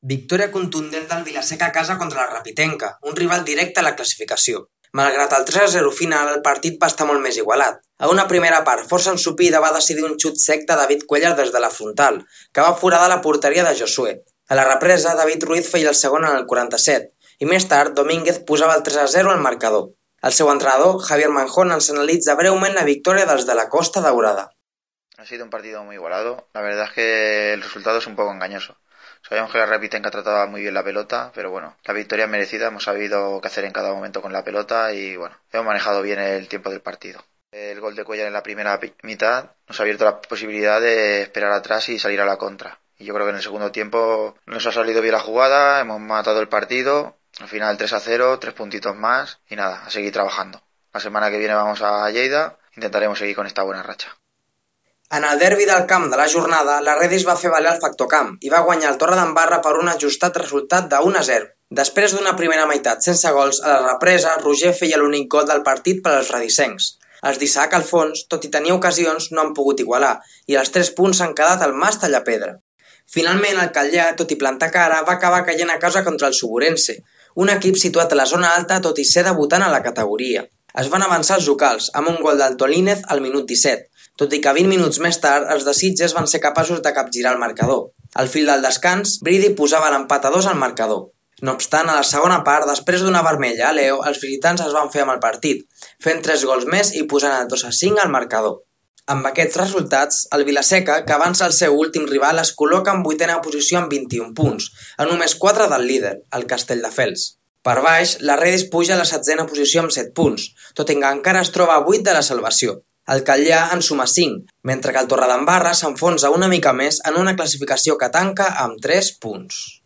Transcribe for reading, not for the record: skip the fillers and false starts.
Victòria contundent del Vila-seca a casa contra la Rapitenca, un rival directe a la classificació. Malgrat el 3-0 final, el partit va estar molt més igualat. A una primera part força ensopida va decidir un xut sec de David Cuéllar des de la frontal, que va foradar la porteria de Josué. A la represa, David Ruiz feia el segon en el 47, i més tard Domínguez posava el 3-0 al marcador. El seu entrenador, Javier Manjón, ens analitza breument la victòria dels de la Costa Daurada. Ha sido un partido muy igualado. La verdad es que el resultado es un poco engañoso. Sabíamos que la Rapitenca trataba muy bien la pelota, pero bueno, la victoria es merecida. Hemos sabido qué hacer en cada momento con la pelota y bueno, hemos manejado bien el tiempo del partido. El gol de Cuéllar en la primera mitad nos ha abierto la posibilidad de esperar atrás y salir a la contra. Y yo creo que en el segundo tiempo nos ha salido bien la jugada, hemos matado el partido. Al final 3-0, 3 puntitos más y nada, a seguir trabajando. La semana que viene vamos a Lleida, intentaremos seguir con esta buena racha. En el derbi del camp de la jornada, la Redis va fer valer el factor camp i va guanyar el Torredembarra per un ajustat resultat de 1-0. Després d'una primera meitat sense gols, a la represa, Roger feia l'únic gol del partit per als redisencs. Els d'Isaac Alfons, tot i tenir ocasions, no han pogut igualar, i els 3 punts s'han quedat al Mas Tallapedra. Finalment, el Catllà, tot i plantar cara, va acabar caient a casa contra el Suburense, un equip situat a la zona alta tot i ser debutant a la categoria. Es van avançar els locals, amb un gol del Tolínez al minut 17, tot i que 20 minuts més tard els de Sitges van ser capaços de capgirar el marcador. Al fil del descans, Bridi posava l'empat a 2 al marcador. No obstant, a la segona part, després d'una vermella a Leo, els visitants es van fer amb el partit, fent 3 gols més i posant el 2-5 al marcador. Amb aquests resultats, el Vila-seca, que avança el seu últim rival, es col·loca en 8ª posició amb 21 punts, a només 4 del líder, el Castelldefels. Per baix, la Redis puja a la 7ª posició amb 7 punts, tot i que encara es troba a 8 de la salvació. El Catllà en suma 5, mentre que el Torredembarra s'enfonsa una mica més en una classificació que tanca amb 3 punts.